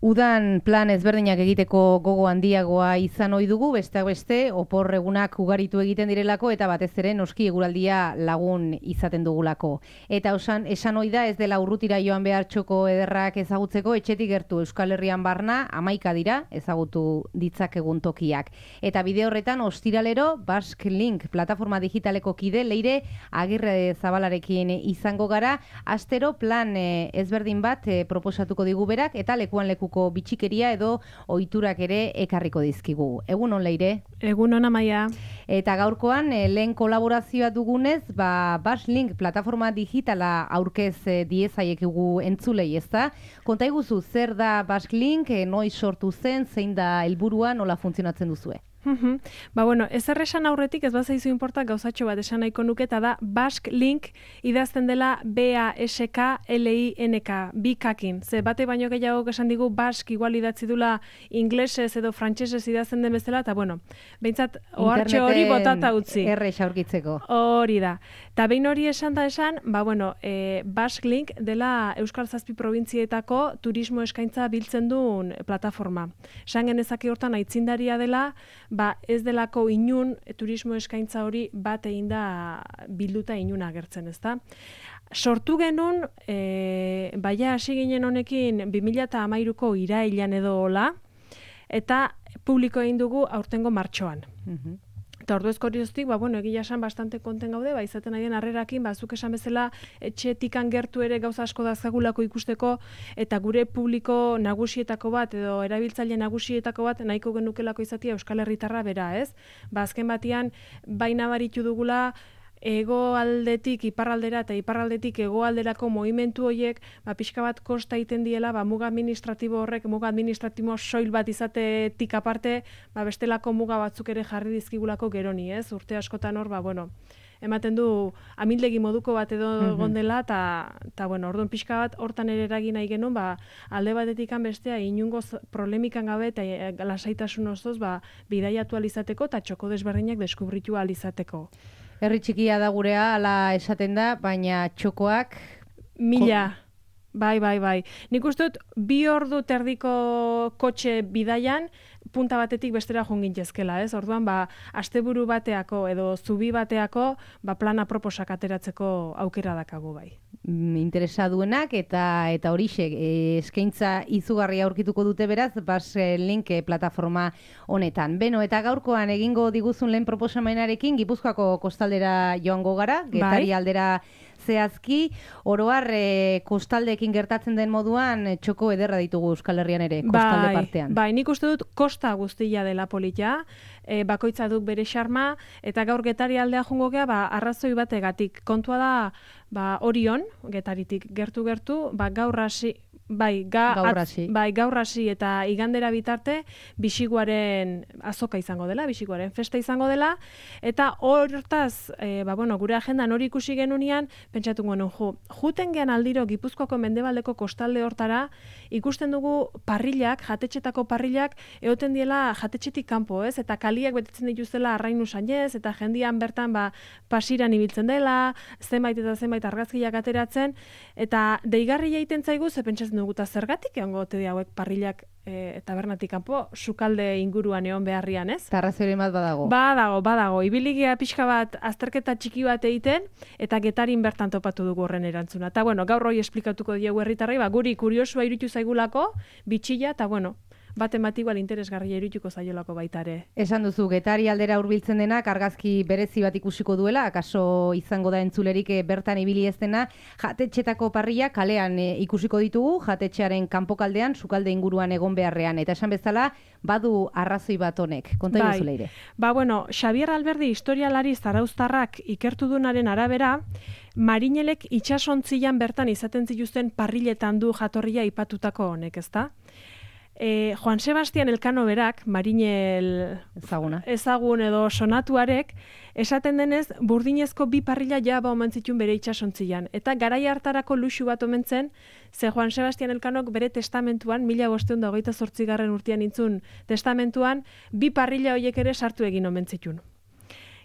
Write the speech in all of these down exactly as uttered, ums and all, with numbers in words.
Udan plan ezberdinak egiteko gogo handiagoa izan ohi dugu, besteak beste, opor egunak ugaritu egiten direlako eta batez ere noski eguraldia lagun izaten dugulako. Eta osan, esan ohi da ez dela urrutira joan behar txoko ederrak ezagutzeko, etxetik gertu Euskal Herrian barna hamaika dira ezagutu ditzakegun tokiak. Eta bide horretan ostiralero Basque Link plataforma digitaleko kide Leire Agirre Zabalarekin izango gara, astero plan eh, ezberdin bat eh, proposatuko digu berak eta lekuan leku bitxikeria edo ohiturak ere ekarriko dizkigu. Egun on, Leire? Egun on, Amaia. Eta gaurkoan eh, lehen kolaborazioa dugunez, ba, Basque Link plataforma digitala aurkez eh, diezaiekegu entzulei, ezta? Konta iguzu, zer da Basque Link, eh, noiz sortu zen, zein da helburua, nola funtzionatzen duzue? Uhum. Ba, bueno, ez erresan aurretik ez bazaizu inporta gauzatxo bat esan nahiko nuke, eta da Basque Link idazten dela B A S K L I N K, bikakin. Ze bate baino gehiago esan digu Basque igual idatzi dula inglesez edo frantsesez idazten den bezala, eta bueno, behintzat ohartxo hori botata utzi. Errex aurkitzeko. Hori da. Eta behin hori esan da esan, ba, bueno, e, Basque Link dela Euskal Zazpi probintzietako turismo eskaintza biltzen duen plataforma. Esan genezake hortan aitzindaria dela, ba, ez delako inun turismo eskaintza hori bat egin da bilduta inun agertzen, ezta? Sortu genuen, e, baina hasi ginen honekin bi mila hamairuko irailean edo hola, eta publiko egin dugu aurtengo martxoan. Mhm. Eta orduzko horioztik, ba, bueno, egia esan bastante konten gaude, ba, izaten nahian harrerakin, ba, zuk esan bezala etxetikan gertu ere gauza asko dazkagulako ikusteko, eta gure publiko nagusietako bat, edo erabiltzaile nagusietako bat, nahiko genukelako izatea Euskal Herritarra bera, ez? Ba, azken batean, baina baritu dugula, hegoaldetik iparraldera eta iparraldetik hegoalderako movimentu horiek, ba, pixka bat kosta egiten diela, ba, muga administratibo horrek, muga administratibo soil bat izatetik aparte, ba, bestelako muga batzuk ere jarri dizkigulako geroni, ez? Urte askotan hor, ba, bueno, ematen du amildegi moduko bat edo egon dela, eta, bueno, orduan pixka bat hortan ere eragin nahi genuen, ba, alde batetikan bestea, inungo problemikan gabe eta lasaitasun osoz, ba, bidaiatu alizateko eta txoko desberdinak deskubritu alizateko. Herri txikia da gurea, ala esaten da, baina txokoak... Mila. Bai, bai, bai. Nik uste dut, bi ordu terdiko kotxe bidaian, punta batetik bestera joan gintzezkela, ez? Orduan, ba, asteburu bateako edo zubi bateako, ba, plana proposak ateratzeko aukera dakagu bai. Interesa duenak eta eta horixe eskaintza izugarria aurkituko dute beraz Basque Link plataforma honetan. Beno, eta gaurkoan egingo diguzun lehen proposamenarekin Gipuzkoako kostaldera joango gara, Getari aldera zehazki, oroar e, kostaldeekin gertatzen den moduan e, txoko ederra ditugu Euskal Herrian ere, kostalde bai, partean. Bai, nik uste dut kosta guztia dela polita, e, bakoitza duk bere xarma, eta gaur Getari aldea jungo gea, ba, arrazoi bategatik. Kontua da, ba, Orion, Getaritik gertu-gertu, ba, gaur hasi, Bai, ga, gaur hasi. Bai, gaur hasi eta igandera bitarte bisiguaren azoka izango dela, bisiguaren festa izango dela, eta hortaz, e, ba, bueno, gure agendan hori ikusi genunean, pentsatu genuen, jo, juten gean aldiro Gipuzkoako mendebaldeko kostalde hortara, ikusten dugu parrilak, jatetxetako parrilak, egoten diela jatetxetik kanpo, ez? Eta kaliak betetzen dituztela arrainu sainez, eta jendian bertan, ba, pasiran ibiltzen dela, zenbait eta zenbait argazkiak ateratzen, eta deigarria egiten zaigu, ze pentsatzen dugu, eta zergatik egongo ote hauek parrilak e, tabernatik kanpo, sukalde inguruan egon beharrian, ez? Tarrazioren bat badago. Badago, badago. Ibiligia pixka bat, azterketa txiki bat egiten, eta Getarin bertan topatu dugu horren erantzuna. Eta, bueno, gaur hori esplikatuko diegu herritarrei, ba, guri kuriosua iruditu zaigulako, bitxilla, eta, bueno, baten bat igual interesgarria irudituko zaiolako baita ere. Esan duzu, Getari aldera hurbiltzen denak argazki berezi bat ikusiko duela, akaso izango da entzulerik bertan ibili ez dena, jatetxetako parrilla kalean e, ikusiko ditugu, jatetxearen kanpokaldean, sukalde inguruan egon beharrean, eta esan bezala, badu arrazoi bat honek. Konta bai. iguzu, Leire. Ba, bueno, Xabier Alberdi historialari zarauztarrak ikertu dunaren arabera, marinelek itsasontzian bertan izaten zituzten parrilletan du jatorria ipatutako honek, ezta? E, Juan Sebastian Elkano berak, marinel ezaguna. ezagun edo sonatuarek, esaten denez, burdinezko bi parrilla ja ba omen zituen bere itsasontzian. Eta garai hartarako luxu bat omen zen, ze Juan Sebastian Elkanok bere testamentuan, mila bostehun eta hogeita zortzigarren urtean intzun testamentuan, bi parrilla horiek ere sartu egin omen zituen.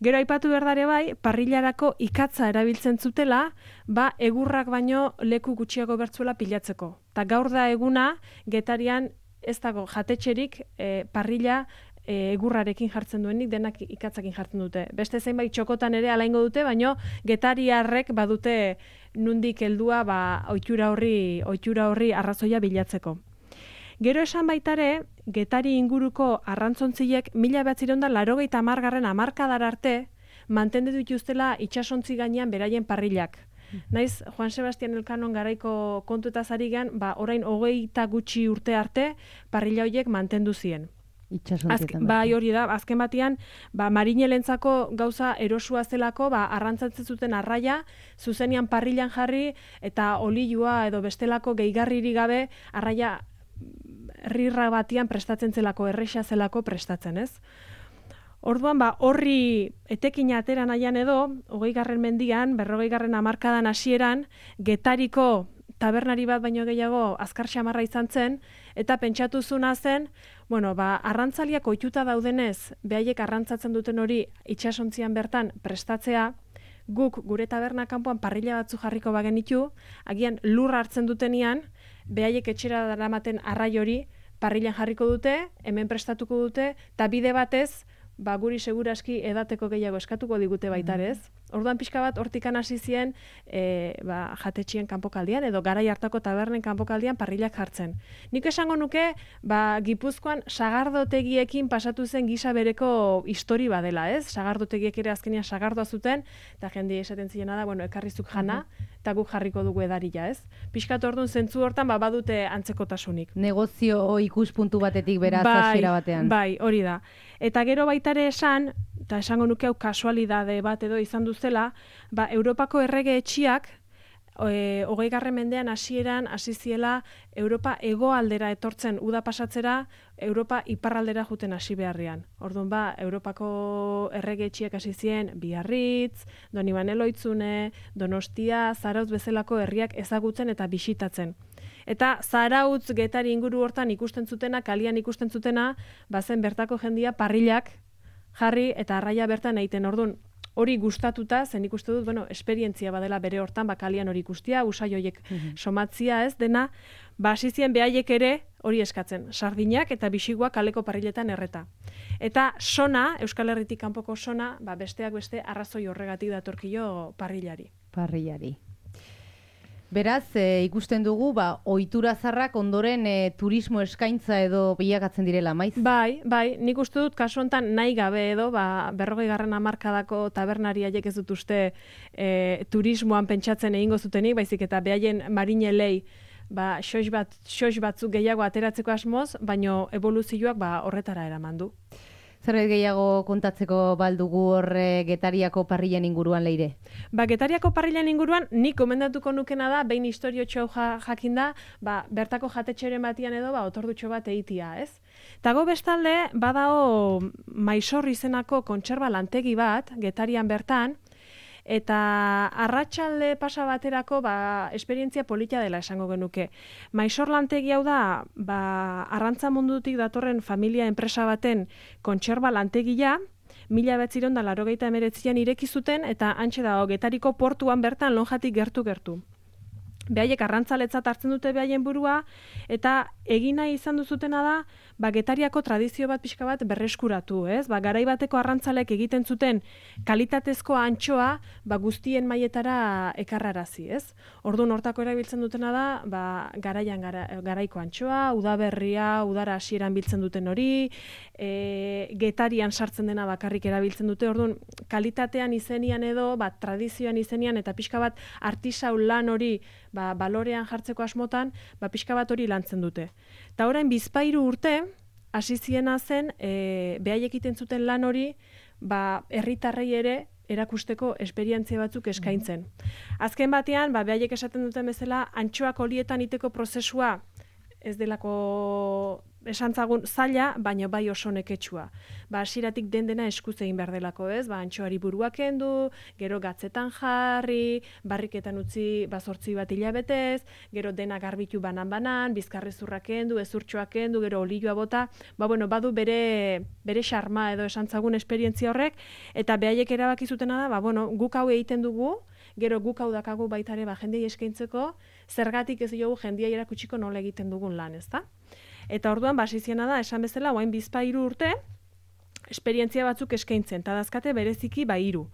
Gero aipatu berdare bai, parrillarako ikatza erabiltzen zutela, ba egurrak baino leku gutxiago bertzuela pilatzeko. Ta gaur da eguna, Getarian ez dago jatetxerik e, parrilla e, egurrarekin jartzen duenik, denak ikatzakin jartzen dute. Beste zeinbait txokotan ere alaingo dute, baino getariarrek badute nundik heldua ba, ohitura horri, ohitura horri arrazoia bilatzeko. Gero esan baitare, Getari inguruko arrantzontziek mila bederatziehun eta laurogeita hamargarren hamarkadar arte mantendu dituztela itsasontzi gainean beraien parrilak. Naiz, Juan Sebastian Elkanon garaiko kontuetaz ari gean, ba, orain hogeita gutxi urte arte parrilla horiek mantendu zien. Itxasontzietan. Bai, hori da, azken batean, ba, marinelentzako gauza erosua zelako, ba, arrantzatzen zuten arraia, zuzenian parrillan jarri, eta olilua edo bestelako gehigarriri gabe, arraia rirra batian prestatzen zelako, erresa zelako prestatzen, ez? Orduan, ba, horri etekin atera nahian edo, hogei garren mendian, berrogei garren hamarkadan hasieran, Getariko tabernari bat baino gehiago azkar xamarra izan zen, eta pentsatu zuna zen, bueno, ba, arrantzaliak ohituta daudenez, behaiek arrantzatzen duten hori itsasontzian bertan prestatzea, guk gure taberna kanpoan parrilla batzu jarriko bagenitu, agian lur hartzen dutenean, behaiek etxera daramaten arrai hori parrillan jarriko dute, hemen prestatuko dute, eta bide batez, ba, guri seguraski edateko gehiago eskatuko digute baitarez. Orduan pixka bat hortikan hasi zien e, ba, jatetxien kanpokaldian edo garai hartako tabernen kanpokaldian parrillak jartzen. Nik esango nuke, ba, Gipuzkoan sagardotegiekin pasatu zen gisa bereko histori badela, ez? Sagardotegiek ere azkenean sagardoa zuten, eta jende esaten ziena da, bueno, ekarrizuk jana, eta guk jarriko dugu edarila, ez? Pixkat orduan zentzu hortan ba, badute antzekotasunik. Negozio ikuspuntu batetik beraz bai, hasiera batean. Bai, hori da. Eta gero baitare esan, eta esango nuke hau kasualidade bat edo izan duzela, ba, Europako errege etxiak, e, hogei garren mendean hasieran hasi ziela Europa hegoaldera etortzen uda pasatzera, Europa iparraldera juten hasi beharrian. Orduan ba, Europako errege etxiak hasi zien Biarritz, Donibane Loitzune, Donostia, Zarautz bezalako herriak ezagutzen eta bisitatzen. Eta Zarautz, Getari inguru hortan ikusten zutena, kalian ikusten zutena, bazen bertako jendia parrillak jarri eta arraia bertan egiten. Orduan, hori gustatuta, zen ikuste dut, bueno, esperientzia badela bere hortan, bakalian hori ikustia, usai horiek somatzia, ez dena, ba, hasi zien behaiek ere hori eskatzen, sardinak eta bisiguak kaleko parrilletan erreta. Eta sona, Euskal Herritik kanpoko sona, ba, besteak beste arrazoi horregatik datorkio parrillari. Parrillari. Beraz, e, ikusten dugu, ba, ohitura zarrak ondoren e, turismo eskaintza edo bilakatzen direla, maiz? Bai, bai, nik uste dut kasu honetan nahi gabe edo, ba, berrogei garren hamarkadako tabernariaiek ez dut uste e, turismoan pentsatzen egingo zutenik, baizik eta behaien marinelei ba, xoix bat, xoix batzuk gehiago ateratzeko asmoz, baino evoluzioak ba, horretara eraman du. Zerbait gehiago kontatzeko baldugu horre Getariako parrillan inguruan, Leire? Ba, Getariako parrillan inguruan nik komendatuko nukena da, behin historio txau ja, jakinda, ba, bertako jatetxeren batian edo, ba, otordutxo bat eitia, ez? Tago bestalde, badao Maisor izenako kontserba lantegi bat, Getarian bertan, eta arratsalde pasa baterako ba, esperientzia polita dela esango genuke. Maisor lantegi hau da, ba, arrantza mundutik datorren familia enpresa baten kontserba lantegia, mila bederatziehun eta laurogeita hemeretzian ireki zuten eta hantxe dago Getariko portuan bertan lonjatik gertu-gertu. Behaiek arrantzaletzat hartzen dute behaien burua, eta egin nahi izan duzutena da, ba, Getariako tradizio bat pixka bat berreskuratu, ez? Ba, garai bateko arrantzalek egiten zuten kalitatezko antxoa, ba, guztien mailetara ekarrarazi, ez? Orduan hortako erabiltzen dutena da, ba, garaian gara, garaiko antxoa, udaberria, udara hasieran biltzen duten hori, e, Getarian sartzen dena bakarrik erabiltzen dute, orduan kalitatean izenian edo, ba, tradizioan izenian, eta pixka bat artisau lan hori, ba, balorean jartzeko asmotan, ba, pixka bat hori lantzen dute. Eta orain bizpahiru urte, hasi ziena zen, e, behaiek egiten zuten lan hori, ba, herritarrei ere erakusteko esperientzia batzuk eskaintzen. Azken batean, ba, behaiek esaten duten bezala, antxoak olietan iteko prozesua ez delako esantzagun zaila, baina bai oso neketsua. Ba, hasieratik den dena eskuz egin behar delako, ez? Ba, antxoari buruak kendu, gero gatzetan jarri, barriketan utzi bazortzi bat hilabetez, gero dena garbitu banan-banan, bizkarrezurrak kendu, ezurtxoak kendu, gero olioa bota, ba, bueno, badu bere bere xarma edo esantzagun esperientzia horrek, eta behaiek erabaki zutena da, ba, bueno, guk hau egiten dugu, gero guk hau dakagu baitare ba, jendei eskaintzeko, zergatik ez diogu jendia erakutsiko nola egiten dugun lan, ezta? Eta orduan, basiziena da, esan bezala, oain bizpairu urte, esperientzia batzuk eskaintzen, eta dazkate bereziki ba hiru.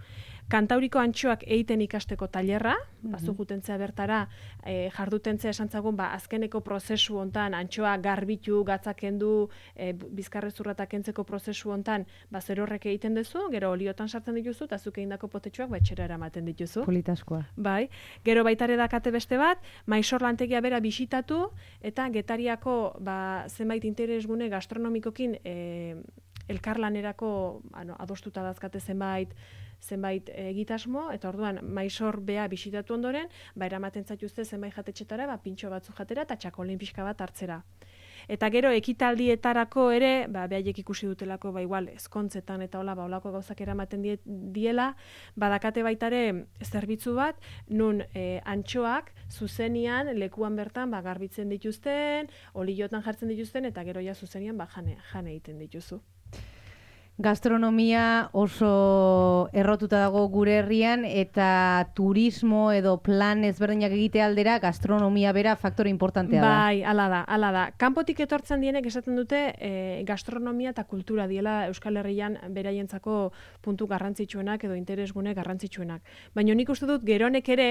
Kantauriko antxoak egiten ikasteko tailerra, mm-hmm. bazu jutentzea bertara, e, jardutentzea esan zagun, ba, azkeneko prozesu hontan, antxoa garbitu, gatzakendu, e, bizkarrezurratak kentzeko prozesu hontan, ba, zer horrek egiten duzu, gero oliotan sartzen dituzu, eta zuk egindako potetxoak ba, etxera eramaten dituzu. Politaskoa. Bai, gero baitare dakate beste bat, maisor lantegia bera bisitatu, eta Getariako ba, zenbait interesgune gastronomikokin e, elkarlanerako ano, adostuta dazkate zenbait, zenbait egitasmo, eta orduan maisor bea bisitatu ondoren, ba, eramaten zaituzte zenbait jatetxetara, ba, pintxo batzu jatera, eta txakolin pixka bat hartzera. Eta gero ekitaldietarako ere, ba, behaiek ikusi dutelako, ba, igual, ezkontzetan eta hola, ba, holako gauzak eramaten die, diela, badakate baitare zerbitzu bat, nun e, antxoak zuzenian, lekuan bertan, ba, garbitzen dituzten, oliotan jartzen dituzten, eta gero ja zuzenian, ba, jane, jane egiten dituzu. Gastronomia oso errotuta dago gure herrian eta turismo edo plan ezberdinak egite aldera gastronomia bera faktore importantea da. Bai, hala da, hala da. Kanpotik etortzen dienek esaten dute e, gastronomia eta kultura diela Euskal Herrian beraientzako puntu garrantzitsuenak edo interesgune garrantzitsuenak. Baina nik uste dut geronek ere,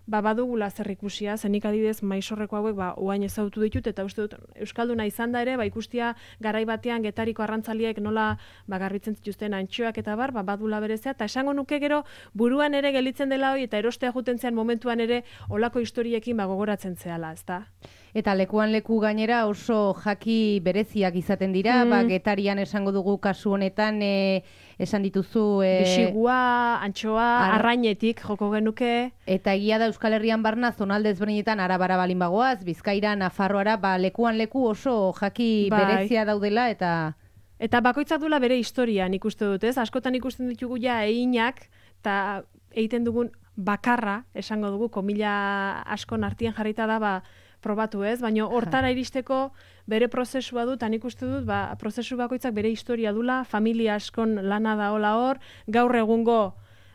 ba, badugula zer ikusia, zenik adidez maisorreko hauek ba, oain ezagutu ditut, eta uste dut Euskalduna izan da ere, ba, ikustia garai batean Getariko arrantzaliek nola ba, garbitzen zituzten antxoak eta bar, ba, badula berezea, eta esango nuke gero buruan ere gelitzen dela hori, eta erostea juten zean momentuan ere olako historiekin ba, gogoratzen zehala, ezta? Eta lekuan leku gainera oso jaki bereziak izaten dira, mm. ba, Getarian esango dugu kasu honetan, e, esan dituzu... E, Bisigua, antxoa, ar... arrainetik joko genuke. Eta egia da Euskal Herrian barna, zonalde ezberdinetan arabara balin bagoaz, Bizkaira, Nafarroara, ba, lekuan leku oso jaki bai. Berezia daudela, eta... Eta bakoitzak dula bere historia, nik uste dut, ez? Askotan ikusten ditugu ja einak, eta egiten dugun bakarra, esango dugu, komila askon artean jarrita da, ba, probatu ez, baina hortara iristeko bere prozesua dut, eta nik uste dut, ba, prozesu bakoitzak bere historia dula, familia askon lana da hola hor, gaur egungo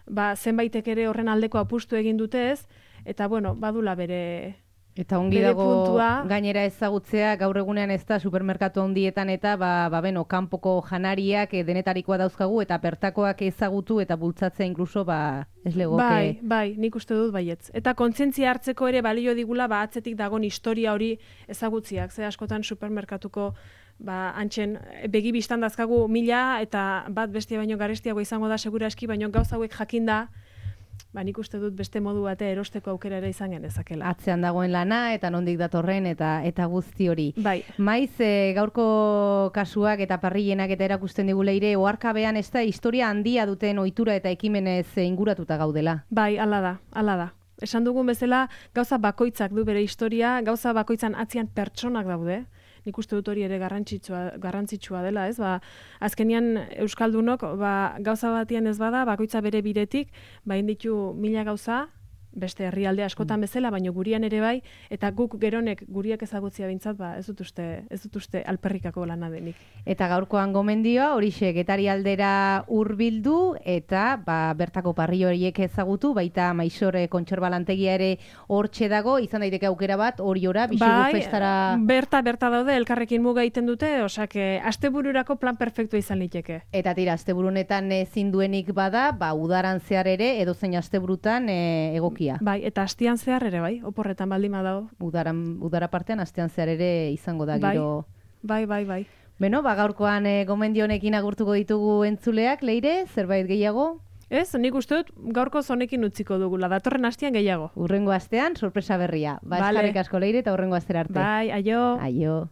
ba, zenbaitek ere horren aldeko apustu egin dute ez, eta bueno, badula bere... Eta ongi dago puntua. Gainera ezagutzea, gaur egunean ez da supermerkatu handietan eta ba, ba beno, kanpoko janariak e, denetarikoa dauzkagu eta bertakoak ezagutu eta bultzatzea inkluso ba, ez legoke. Bai, bai, nik uste dut baietz. Eta kontzientzia hartzeko ere balio digula ba, atzetik dagon historia hori ezagutziak. Ze askotan supermerkatuko ba, antxen begi bistan dazkagu mila eta bat bestia baino garestiago izango da segura eski, baino gauza hauek jakinda, ba, nik uste dut beste modu bate erosteko aukera ere izan genezakela. Atzean dagoen lana eta nondik datorren eta eta guzti hori. Bai. Maiz, e, gaurko kasuak eta parrillenak eta erakusten digu leire, oharkabean ez da historia handia duten ohitura eta ekimenez inguratuta gaudela. Bai, hala da, hala da. Esan dugun bezala, gauza bakoitzak du bere historia, gauza bakoitzan atzian pertsonak daude. Nik uste dut hori ere garrantzitsua, garrantzitsua dela, ez? Ba, azkenian Euskaldunok ba, gauza batian ez bada, bakoitza bere biretik, ba, inditu mila gauza, beste herrialde askotan bezala, baino gurian ere bai, eta guk geronek guriak ezagutzia bintzat, ba, ez dut uste, ez dut uste alperrikako lana denik. Eta gaurkoan gomendioa, horixe Getari aldera hurbildu eta ba, bertako parri horiek ezagutu, baita Maisor kontserba lantegia ere hortxe dago, izan daiteke aukera bat, horiora, bisigu bai, festara... berta, berta daude, elkarrekin muga egiten dute, osak, astebururako plan perfektua izan liteke. Eta tira, asteburunetan ezin duenik bada, ba, udaran zehar ere, edozein asteburutan e, egokia. Bai, eta astean zehar ere, bai, oporretan baldin badago. Udaran, udara partean astean zehar ere izango da giro. Bai, bai, bai, bai. Beno, ba, gaurkoan e, gomendio honekin agurtuko ditugu entzuleak, Leire, zerbait gehiago? Ez, nik uste dut gaurko zonekin utziko dugula, datorren astean gehiago. Urrengo astean, sorpresa berria. Ba, vale. Eskarrik asko Leire eta urrengo astera arte. Bai, aio. Aio.